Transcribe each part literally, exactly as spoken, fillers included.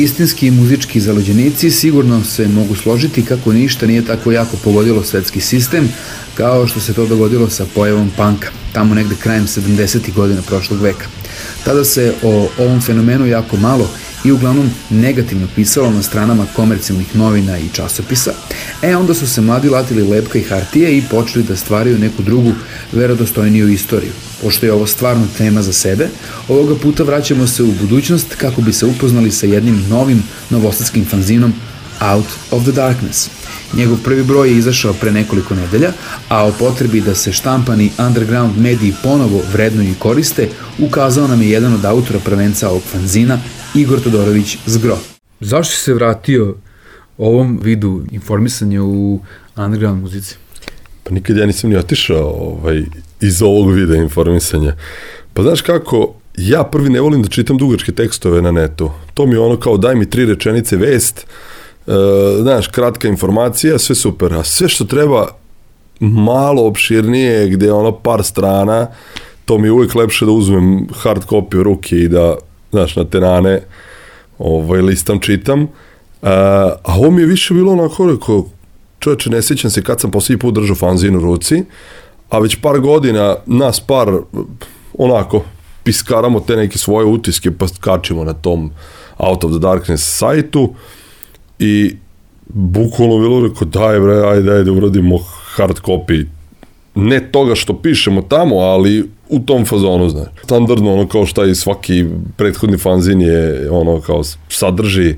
Istinski muzički zaleđenici sigurno se mogu složiti kako ništa nije tako jako pogodilo svetski sistem kao što se to dogodilo sa pojavom punka, tamo negde krajem sedamdesetih godina prošlog veka. Tada se o ovom fenomenu jako malo i uglavnom negativno pisalo na stranama komercijalnih novina i časopisa, e onda su se mladi latili lepka i hartije i počeli da stvaraju neku drugu, verodostojniju istoriju. Pošto je ovo stvarno tema za sebe, ovoga puta vraćamo se u budućnost kako bi se upoznali sa jednim novim novosadskim fanzinom Out of the Darkness. Njegov prvi broj je izašao pre nekoliko nedelja, a o potrebi da se štampani underground mediji ponovo vrednuju i koriste, ukazao nam je jedan od autora prvenca ovog fanzina, Igor Todorović Zgro. Zašto si se vratio ovom vidu informisanja u underground muzici? Pa nikad ja nisam ni otišao ovaj, iz ovog vida informisanja. Pa znaš kako, ja prvi ne volim da čitam dugačke tekstove na netu. To mi je ono kao daj mi tri rečenice vest, Uh, znaš, kratka informacija, sve super, a sve što treba malo opširnije, gde je ono par strana, to mi je uvijek lepše da uzmem hard copy u ruke i da, znaš, na tenane ovaj, listam, čitam, uh, a ovo mi je više bilo onako, rekao, čovječe, ne sjećam se kad sam posljednji put držao fanzin u ruci, a već par godina nas par onako piskaramo te neke svoje utiske pa kačimo na tom Out of the Darkness sajtu. I bukvalno bilo rekao, daj bre, ajde, ajde, uradimo hard copy. Ne toga što pišemo tamo, ali u tom fazonu, znaš. Standardno, ono kao šta i svaki prethodni fanzin je, ono kao sadrži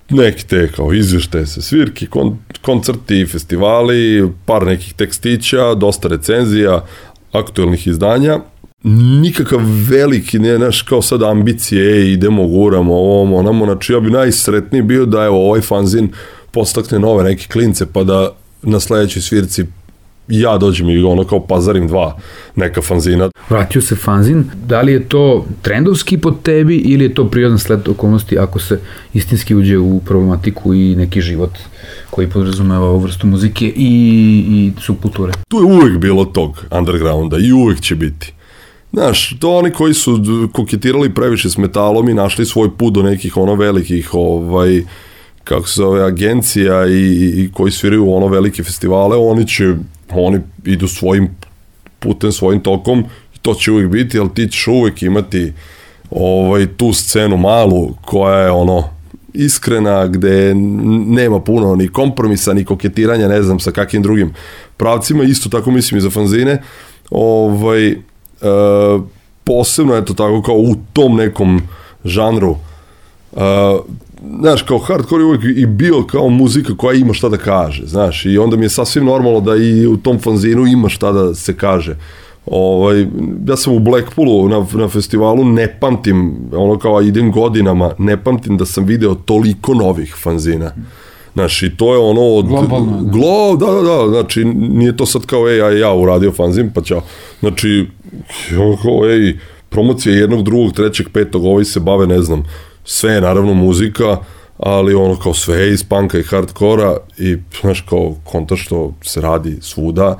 neke te kao izvještaje sa svirki, kon, koncerti, festivali, par nekih tekstića, dosta recenzija, aktuelnih izdanja. Nikakav veliki, ne, znaš, kao sad ambicije, idemo, guramo, ovom, onamo, znači ja bi najsretniji bio da evo ovaj fanzin postakne nove neke klince, pa da na sledećoj svirci ja dođem i ono kao pazarim dva neka fanzina. Vratio se fanzin, da li je to trendovski pod tebi ili je to prirodan sled okolnosti ako se istinski uđe u problematiku i neki život koji podrazumeva ovu vrstu muzike i, i subkulture? Tu je uvek bilo tog undergrounda i uvek će biti. Znaš, to oni koji su koketirali previše s metalom i našli svoj put do nekih ono velikih, ovaj, kako se zove, agencija i, i koji sviraju ono velike festivale, oni će, oni idu svojim putem, svojim tokom i to će uvijek biti, ali ti ćeš uvijek imati ovaj, tu scenu malu koja je ono iskrena, gde nema puno ni kompromisa, ni koketiranja, ne znam sa kakvim drugim pravcima, isto tako mislim i za fanzine, ovaj, Uh, posebno je to tako kao u tom nekom žanru, uh, znaš, kao hardcore je uvijek i bio kao muzika koja ima šta da kaže, znaš, i onda mi je sasvim normalno da i u tom fanzinu ima šta da se kaže. Ovaj, ja sam u Blackpoolu na, na festivalu, ne pamtim, ono kao idem godinama, ne pamtim da sam video toliko novih fanzina. Znaš, i to je ono od... Globalno. Glo, da, da, da, znači, nije to sad kao, ej, ja, ja uradio fanzin, pa ćao. Znači, kao, ej, promocija jednog, drugog, trećeg, petog, ovi se bave, ne znam, sve je naravno muzika, ali ono kao sve iz punka i hardkora i, znaš, kao konta što se radi svuda.